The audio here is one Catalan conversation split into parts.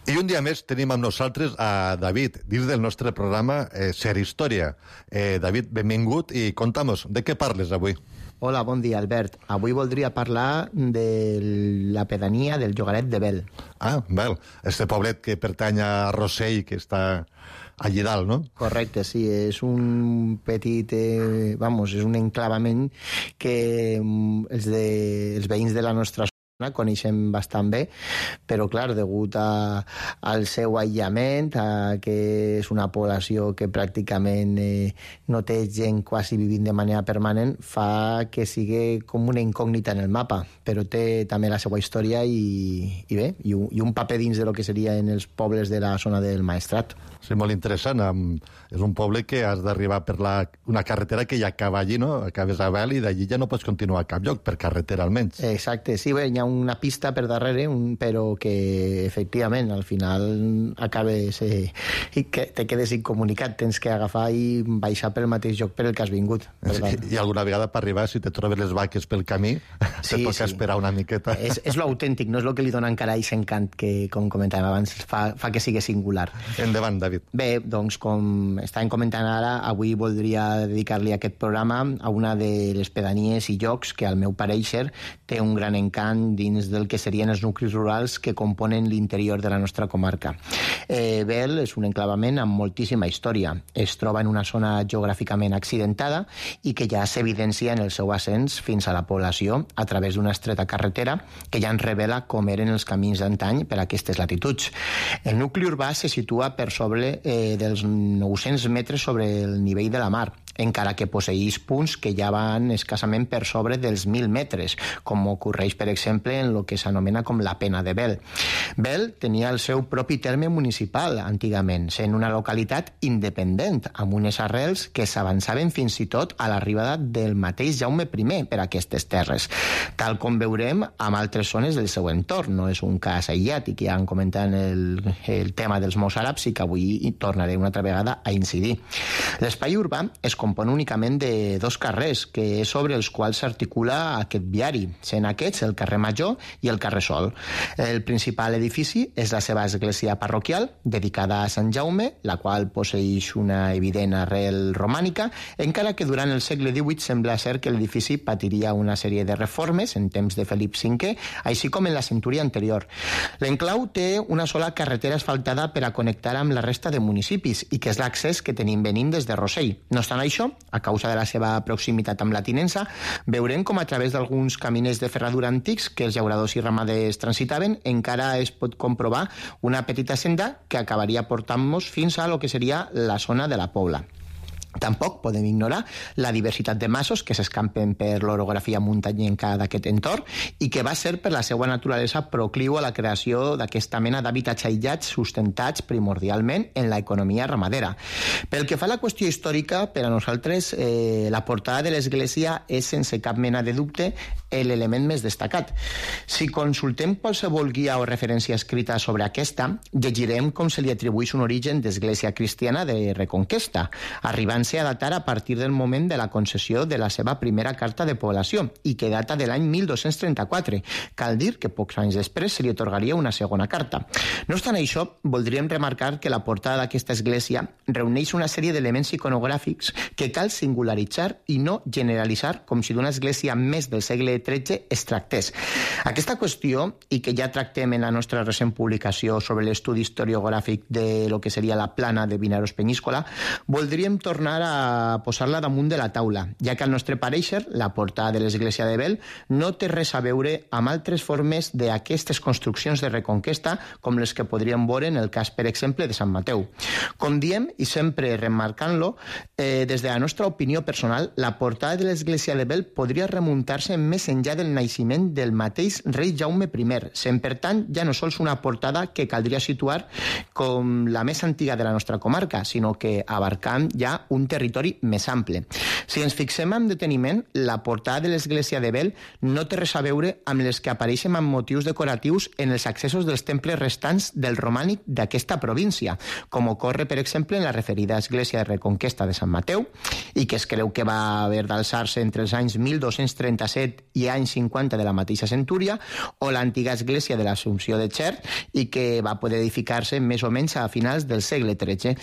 I un dia més tenim amb nosaltres a David, dins del nostre programa Ser Història. David, benvingut i conta'm-nos, de què parles avui? Hola, bon dia, Albert. Avui voldria parlar de la pedania del Llogaret de Bel. Ah, Bel, este poblet que pertany a Rossell, que està allí dalt, no? Correcte, sí, és un petit, és un enclavament que els veïns de la nostra zona coneixem bastant bé, però clar, degut al seu aïllament, que és una població que pràcticament no té gent quasi vivint de manera permanent, fa que sigui com una incògnita en el mapa, però té també la seva història i un paper dins de lo que serien els pobles de la zona del Maestrat. Sí, molt interessant. És un poble que has d'arribar per una carretera que ja acaba allí, no? Acabes a Bel i d'allí ja no pots continuar a cap lloc, per carretera almenys. Exacte, sí, bé, hi ha una pista per darrere, però que efectivament al final acabes i que te quedes incomunicat, tens que agafar i baixar pel mateix lloc per el que has vingut. I alguna vegada per arribar, si te trobes les vaques pel camí, te toca esperar una miqueta. És lo autèntic, no és lo que li dona encara aquest encant que, com comentàvem abans, fa que sigui singular. Endavant, David. Bé, doncs, com estàvem comentant ara, avui voldria dedicar-li aquest programa a una de les pedanies i llocs que, al meu parèixer, té un gran encant dins del que serien els nuclis rurals que componen l'interior de la nostra comarca. Bel és un enclavament amb moltíssima història. Es troba en una zona geogràficament accidentada i que ja s'evidencia en el seu ascens fins a la població a través d'una estreta carretera que ja ens revela com eren els camins d'antany per a aquestes latituds. El nucli urbà se situa per sobre dels 900 metres sobre el nivell de la mar, encara que posseïx punts que ja van escassament per sobre dels 1.000 metres, com ocorreix, per exemple, en el que s'anomena com la Pena de Bel. Bel tenia el seu propi terme municipal, antigament, sent una localitat independent, amb unes arrels que s'avançaven fins i tot a l'arribada del mateix Jaume I per aquestes terres, tal com veurem amb altres zones del seu entorn. No és un cas aïllat, i que ja han comentat el tema dels mozàrabs i que avui hi tornaré una altra vegada a incidir. L'espai urbà es compon únicament de dos carrers, que és sobre els quals s'articula aquest viari, sent aquests el carrer Major i el carrer Sol. El principal edifici és la seva església parroquial, dedicada a Sant Jaume, la qual posseïx una evident arrel romànica, encara que durant el segle XVIII sembla ser que l'edifici patiria una sèrie de reformes en temps de Felip V, així com en la centúria anterior. L'enclau té una sola carretera asfaltada per a connectar amb la resta de municipis i que és l'accés que tenim venint des de Rossell. No obstant això, a causa de la seva proximitat amb la tinença, veurem com a través d'alguns caminers de ferradura antics que els llauradors i ramaders transitaven, encara es pot comprovar una petita senda que acabaria portant-nos fins a lo que seria la zona de la Pobla. Tampoc podem ignorar la diversitat de masos que s'escampen per l'orografia muntanyenca d'aquest entorn i que va ser per la seva naturalesa procliu a la creació d'aquesta mena d'hàbitats aïllats sustentats primordialment en l'economia ramadera. Pel que fa a la qüestió històrica, per a nosaltres la portada de l'església és sense cap mena de dubte l'element més destacat. Si consultem qualsevol guia o referència escrita sobre aquesta, llegirem com se li atribueix un origen d'església cristiana de Reconquesta, arribant a datar a partir del moment de la concessió de la seva primera carta de població i que data de l'any 1234. Cal dir que pocs anys després se li atorgaria una segona carta. No obstant això, voldríem remarcar que la portada d'aquesta església reuneix una sèrie d'elements iconogràfics que cal singularitzar i no generalitzar com si d'una església més del segle XIII es tractés. Aquesta qüestió, i que ja tractem en la nostra recent publicació sobre l'estudi historiogràfic de lo que seria la plana de Vinaros Penyíscola, voldríem tornar a posar-la damunt de la taula, ja que al nostre parèixer la portada de l'església de Bel no té res a veure amb altres formes d'aquestes construccions de Reconquesta com les que podríem veure en el cas, per exemple, de Sant Mateu. Com diem, i sempre remarcant-lo, des de la nostra opinió personal, la portada de l'església de Bel podria remuntar-se més enllà del naixement del mateix rei Jaume I, sent per tant ja no sols una portada que caldria situar com la més antiga de la nostra comarca, sinó que abarcant ja un un territori més ample. Si ens fixem amb deteniment, la portada de l'església de Bel no té res a veure amb les que apareixen amb motius decoratius en els accessos dels temples restants del romànic d'aquesta província, com ocorre, per exemple, en la referida església de Reconquesta de Sant Mateu, i que es creu que va haver d'alçar-se entre els anys 1237 i anys 50 de la mateixa centúria, o l'antiga església de l'Assumpció de Xert, i que va poder edificar-se més o menys a finals del segle XIII.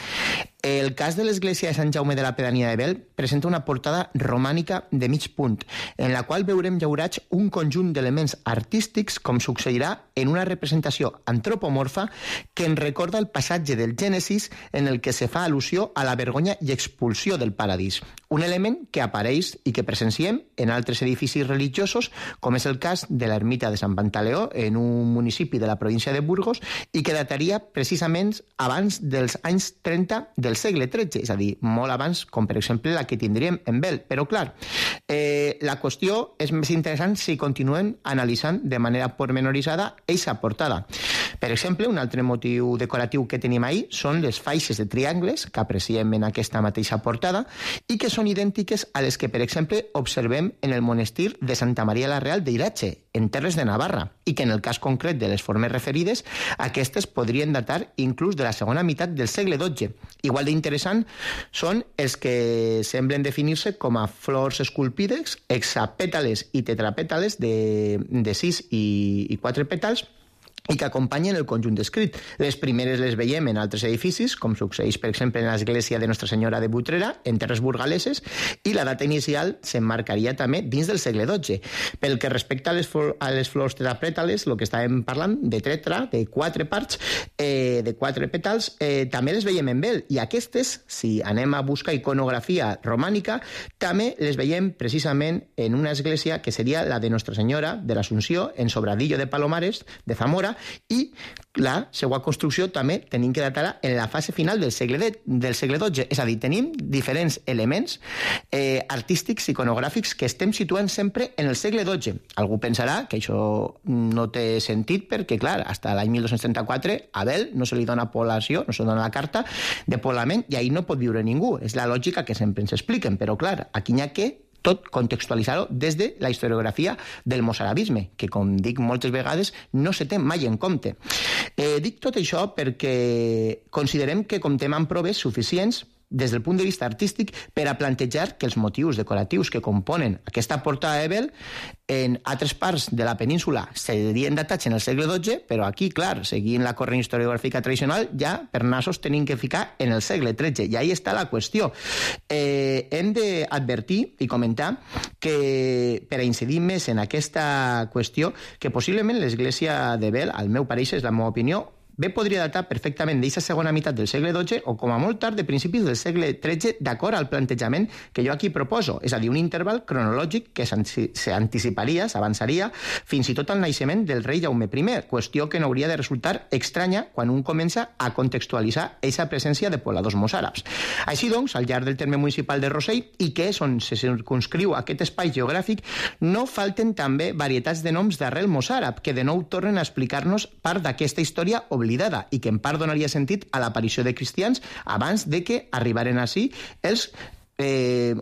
El cas de l'església de Sant Jaume de la Pedania de Bel presenta una portada romànica de mig punt, en la qual veurem llaurats un conjunt d'elements artístics, com succeirà en una representació antropomorfa que ens recorda el passatge del Gènesis, en el que se fa al·lusió a la vergonya i expulsió del paradís. Un element que apareix i que presenciem en altres edificis religiosos, com és el cas de l'ermita de Sant Pantaleó, en un municipi de la província de Burgos, i que dataria precisament abans dels anys 30 del segle XIII, és a dir, molt abans, com per exemple la que tindríem en Bel. Però clar, la qüestió és més interessant si continuem analitzant de manera pormenoritzada eixa portada. Per exemple, un altre motiu decoratiu que tenim ahí són les faixes de triangles que apreciem en aquesta mateixa portada i que són idèntiques a les que, per exemple, observem en el monestir de Santa Maria la Real d'Iratxe, en Terres de Navarra, i que en el cas concret de les formes referides, aquestes podrien datar inclús de la segona meitat del segle XII. Igual d'interessant són els que semblen definir-se com a flors esculpides, hexapètales i tetrapètales de 6 i 4 pètals, i que acompanyen el conjunt descrit. Les primeres les veiem en altres edificis, com succeeix, per exemple, en l'església de Nostra Senyora de Butrera, en terres burgaleses, i la data inicial s'emmarcaria també dins del segle XII. Pel que respecta a les flors tetrapètales, el que estàvem parlant, de tetra, de 4 parts, de 4 pètals, també les veiem en Bel, i aquestes, si anem a buscar iconografia romànica, també les veiem precisament en una església que seria la de Nostra Senyora de l'Assumpció, en Sobradillo de Palomares, de Zamora, i la seva construcció també tenim que datar en la fase final del segle XII. És a dir, tenim diferents elements artístics, iconogràfics, que estem situant sempre en el segle XII. Algú pensarà que això no té sentit perquè, clar, fins a l'any 1234 a Bel no se li dona població, no se li dona la carta de poblament i ahí no pot viure ningú. És la lògica que sempre ens expliquen, però, clar, aquí n'hi ha que tot contextualitzar-ho des de la historiografia del mossarabisme, que, com dic moltes vegades, no se té mai en compte. Dic tot això perquè considerem que comptem amb proves suficients des del punt de vista artístic per a plantejar que els motius decoratius que componen aquesta portada de Bel en altres parts de la península serien datats en el segle XII, però aquí, clar, seguint la corrent historiogràfica tradicional, ja per nassos tenim que ficar en el segle XIII, i ahí està la qüestió. Hem d'advertir i comentar que, per a incidir més en aquesta qüestió, que possiblement l'església de Bel, al meu pareixer, és la meva opinió, bé podria datar perfectament d'aquesta segona meitat del segle XII o com a molt tard de principis del segle XIII, d'acord al plantejament que jo aquí proposo, és a dir, un interval cronològic que s'anticiparia, s'avançaria fins i tot al naixement del rei Jaume I, qüestió que no hauria de resultar estranya quan un comença a contextualitzar aquesta presència de pobladors mossàrabs. Així doncs, al llarg del terme municipal de Rossell, i que és on se circunscriu aquest espai geogràfic, no falten també varietats de noms d'arrel mossàrab que de nou tornen a explicar-nos part d'aquesta història oblidada i que en part donaria sentit a l'aparició de cristians abans de que arribaren ací els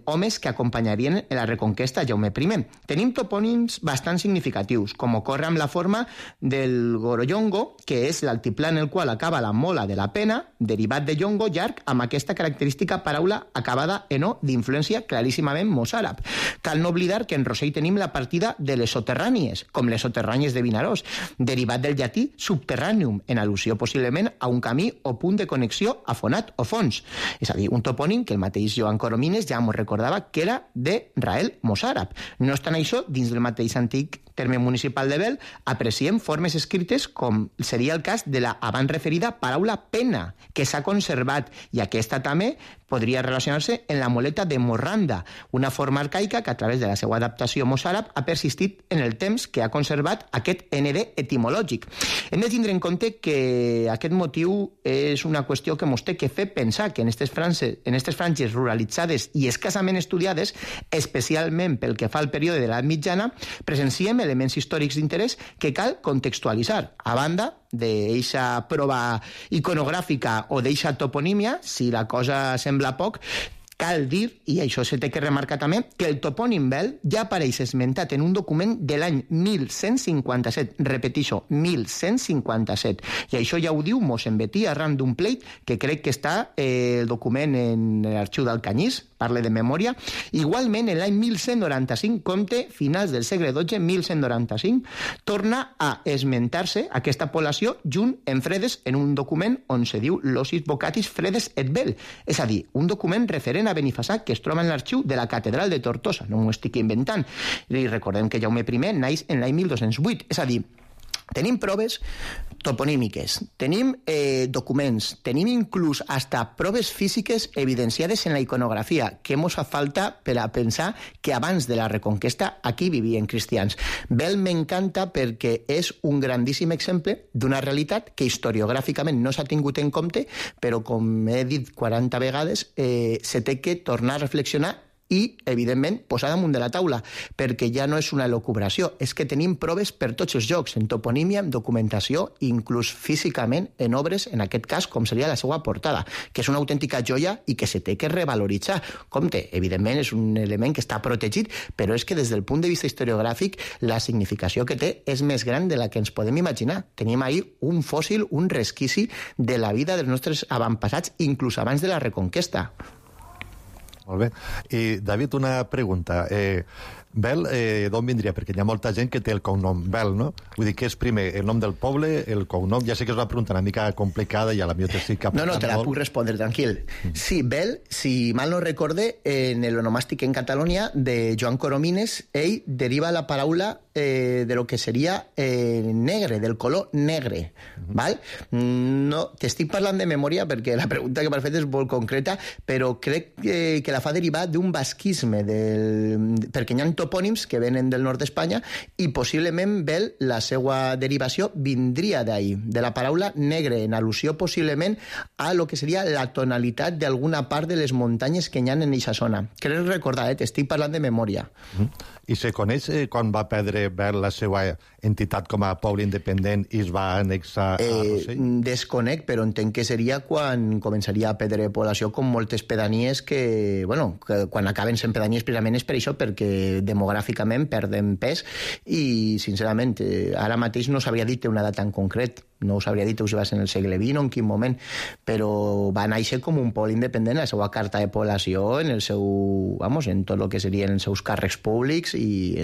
homes que acompanyarien en la reconquesta a Jaume I. Tenim topònims bastant significatius, com ocorre amb la forma del Gorollongo, que és l'altiplà en el qual acaba la mola de la pena, derivat de llongo llarg, amb aquesta característica paraula acabada en o d'influència claríssimament mossàrab. Cal no oblidar que en Rossell tenim la partida de les soterrànies, com les soterrànies de Vinaròs, derivat del llatí subterraneum, en al·lusió possiblement a un camí o punt de connexió a fonat o fons. És a dir, un topònim que el mateix Joan Coromines ja m'ho recordava que era de Rael mossàrab. No obstant això, dins del mateix antic terme municipal de Bel, apreciem formes escrites com seria el cas de la abans referida paraula pena, que s'ha conservat, i aquesta també podria relacionar-se en la moleta de morranda, una forma arcaica que a través de la seva adaptació mossàrab ha persistit en el temps que ha conservat aquest ND etimològic. Hem de tindre en compte que aquest motiu és una qüestió que ens té que fer pensar que en aquestes franges ruralitzades i escassament estudiades, especialment pel que fa al període de l'edat mitjana, presenciem elements històrics d'interès que cal contextualitzar. A banda d'eixa prova iconogràfica o d'eixa toponímia, si la cosa sembla poc, Cal dir, i això se té que remarcar també, que el topònim Bel ja apareix esmentat en un document de l'any 1157, repetixo, 1157, i això ja ho diu Mossèn Betí arran d'un pleit que crec que està el document en l'arxiu d'Alcanyís, parle de memòria. Igualment, en l'any 1195, compte finals del segle XII, 1195, torna a esmentar-se aquesta població junt en Fredes en un document on se diu Locis Vocatis Fredes et Bel, és a dir, un document referent a Benifassà que es troba en l'arxiu de la catedral de Tortosa, no m'ho estic inventant. I recordem que Jaume I naix en l'any 1208, és a dir, tenim proves toponímiques, tenim documents, tenim inclús hasta proves físiques evidenciades en la iconografia, que mos fa falta per a pensar que abans de la Reconquesta aquí vivien cristians. Bel m'encanta perquè és un grandíssim exemple d'una realitat que historiogràficament no s'ha tingut en compte, però com he dit 40 vegades, se té que tornar a reflexionar i, evidentment, posar damunt de la taula, perquè ja no és una elucubració, és que tenim proves per tots els llocs, en toponímia, en documentació, inclús físicament en obres, en aquest cas, com seria la seva portada, que és una autèntica joia i que se té que revaloritzar. Compte, evidentment, és un element que està protegit, però és que des del punt de vista historiogràfic la significació que té és més gran de la que ens podem imaginar. Tenim ahí un fòssil, un resquici de la vida dels nostres avantpassats, inclús abans de la Reconquesta. Molt bé. I, David, una pregunta. Bel, d'on vindria? Perquè hi ha molta gent que té el cognom Bel, no? Vull dir, què és primer, el nom del poble, el cognom? Ja sé que és una pregunta una mica complicada i a la millor t'estic apuntant No, te la puc respondre, tranquil. Sí, Bel, si mal no recorde, en l'onomàstic en Catalunya de Joan Coromines, ell deriva la paraula de lo que seria negre, del color negre. Val? No, t'estic parlant de memòria perquè la pregunta que m'has fet és molt concreta, però crec que la fa derivar d'un basquisme, perquè hi ha topònims que venen del nord d'Espanya i possiblement Bel, la seva derivació vindria d'ahí, de la paraula negre, en al·lusió possiblement a lo que seria la tonalitat d'alguna part de les muntanyes que hi ha en aquesta zona. Crec recordar, t'estic parlant de memòria. I se coneix quan va perdre Bel la seva entitat com a poble independent i es va annexar a Rossell? Desconec, però entenc que seria quan començaria a perdre població com moltes pedanies que quan acaben sent pedanies precisament és per això, perquè demogràficament perden pes i, sincerament, ara mateix no s'hauria dit una data en concret, no us hauria dit si va ser en el segle XX o en quin moment, però va néixer com un poble independent, la seva carta de població, en el seu, en tot el que serien els seus càrrecs públics i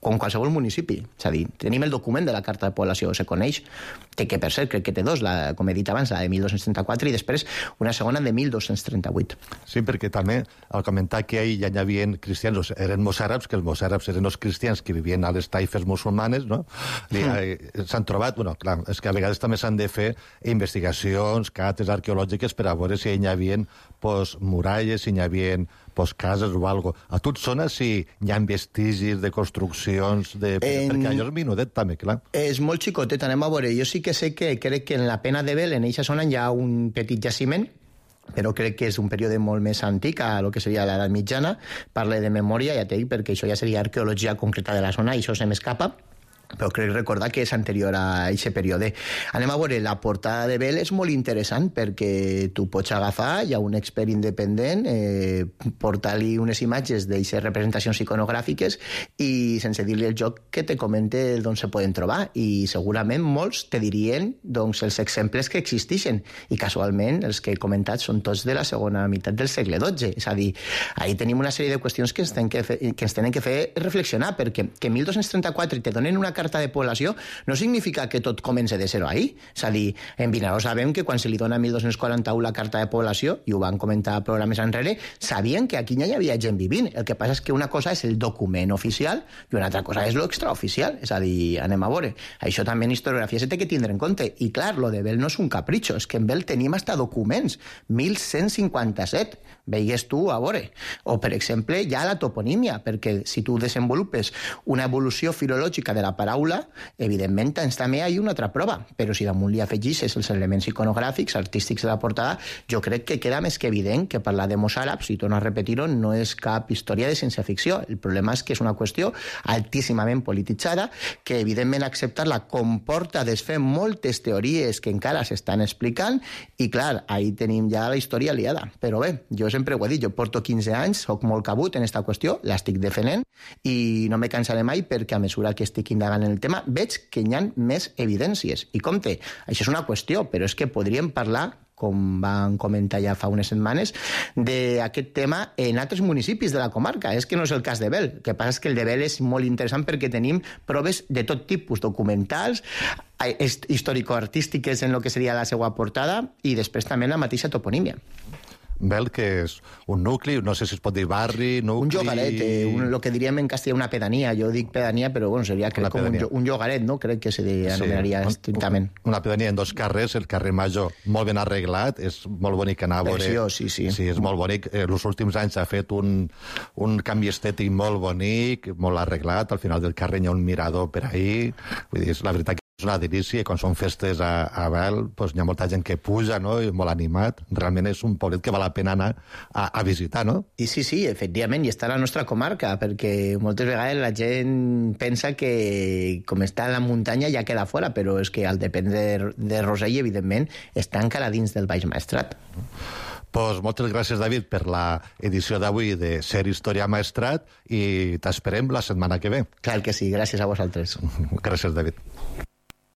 com qualsevol municipi. És a dir, tenim el document de la carta de població, se coneix, que per cert crec que té dos, com he dit abans, la de 1234 i després una segona de 1238. Sí, perquè també al comentar que ahir ja hi havia cristians, eren mossàrabs, que els mossàrabs eren els cristians que vivien a les taifes musulmanes, no? S'han trobat, clar, és que a vegades també s'han de fer investigacions, cates arqueològiques per a veure si hi havia muralles, si hi havia cases o alguna cosa. A tu et sona si hi ha vestigis de construccions, perquè allò és minudet també, clar. És molt xicotet, anem a veure. Jo sí que sé que crec que en la Pena de Bel, en eixa zona, hi ha un petit jaciment, però crec que és un període molt més antic a lo que seria l'edat mitjana. Parle de memòria, ja t'he dit, perquè això ja seria arqueologia concreta de la zona i això se m'escapa, però crec recordar que és anterior a aquest període. Anem a veure, la portada de Bel és molt interessant perquè tu pots agafar, hi ha un expert independent, portar-li unes imatges d'aquestes representacions iconogràfiques i sense dir-li el joc que te comente d'on se poden trobar i segurament molts te dirien els exemples que existeixen i casualment els que he comentat són tots de la segona meitat del segle XII. És a dir, ahí tenim una sèrie de qüestions que ens tenen que fer reflexionar perquè que 1234 te donen una carta de població no significa que tot comença de zero ahí. És a dir, en Vinaròs sabem que quan se li dona 1241 la carta de població, i ho van comentar programes enrere, sabien que aquí ja hi havia gent vivint. El que passa és que una cosa és el document oficial i una altra cosa és l'extraoficial. És a dir, anem a veure. Això també en historiografia se té que tindre en compte. I clar, lo de Bel no és un capritxo, és que en Bel tenim hasta documents. 1157. Veigues tu a veure. O, per exemple, hi ha la toponímia, perquè si tu desenvolupes una evolució filològica de la paraula paraula, evidentment també hi ha una altra prova, però si damunt li afegixes els elements iconogràfics, artístics de la portada, jo crec que queda més que evident que parlar de mossàrabs, i torno a repetir-ho, no és cap història de ciència-ficció. El problema és que és una qüestió altíssimament polititzada, que evidentment acceptar-la comporta desfer moltes teories que encara s'estan explicant, i clar, ahí tenim ja la història liada. Però bé, jo sempre ho he dit, jo porto 15 anys, soc molt cabut en esta qüestió, l'estic defenent, i no me cansaré mai perquè a mesura que estic indagant en el tema veig que hi ha més evidències. I compte, això és una qüestió, però és que podríem parlar, com van comentar ja fa unes setmanes, d'aquest tema en altres municipis de la comarca. És que no és el cas de Bel. El que passa és que el de Bel és molt interessant perquè tenim proves de tot tipus, documentals, històrico-artístiques en el que seria la seva portada, i després també la mateixa toponímia. Bel, que és un nucli, no sé si es pot dir barri, nucli... Un llogaret, el que diríem en castellà una pedania. Jo dic pedania, però bueno, seria crec, com un llogaret, no? Crec que se anomenaria estrictament. Una pedania en 2 carrers, el carrer Major molt ben arreglat, és molt bonic anar a veure... Preciós, sí. Sí, és molt bonic. Els últims anys ha fet un canvi estètic molt bonic, molt arreglat, al final del carrer hi ha un mirador per ahí, vull dir, la veritat que és una delícia, i quan són festes a Bel, doncs hi ha molta gent que puja, no?, i molt animat. Realment és un poblet que val la pena anar a visitar, no? I sí, efectivament, i està a la nostra comarca, perquè moltes vegades la gent pensa que com està a la muntanya ja queda fora, però és que al dependre de Rosell, evidentment, està encara dins del Baix Maestrat. Pues moltes gràcies, David, per la edició d'avui de Ser Història Maestrat, i t'esperem la setmana que ve. Clar que sí, gràcies a vosaltres. Gràcies, David.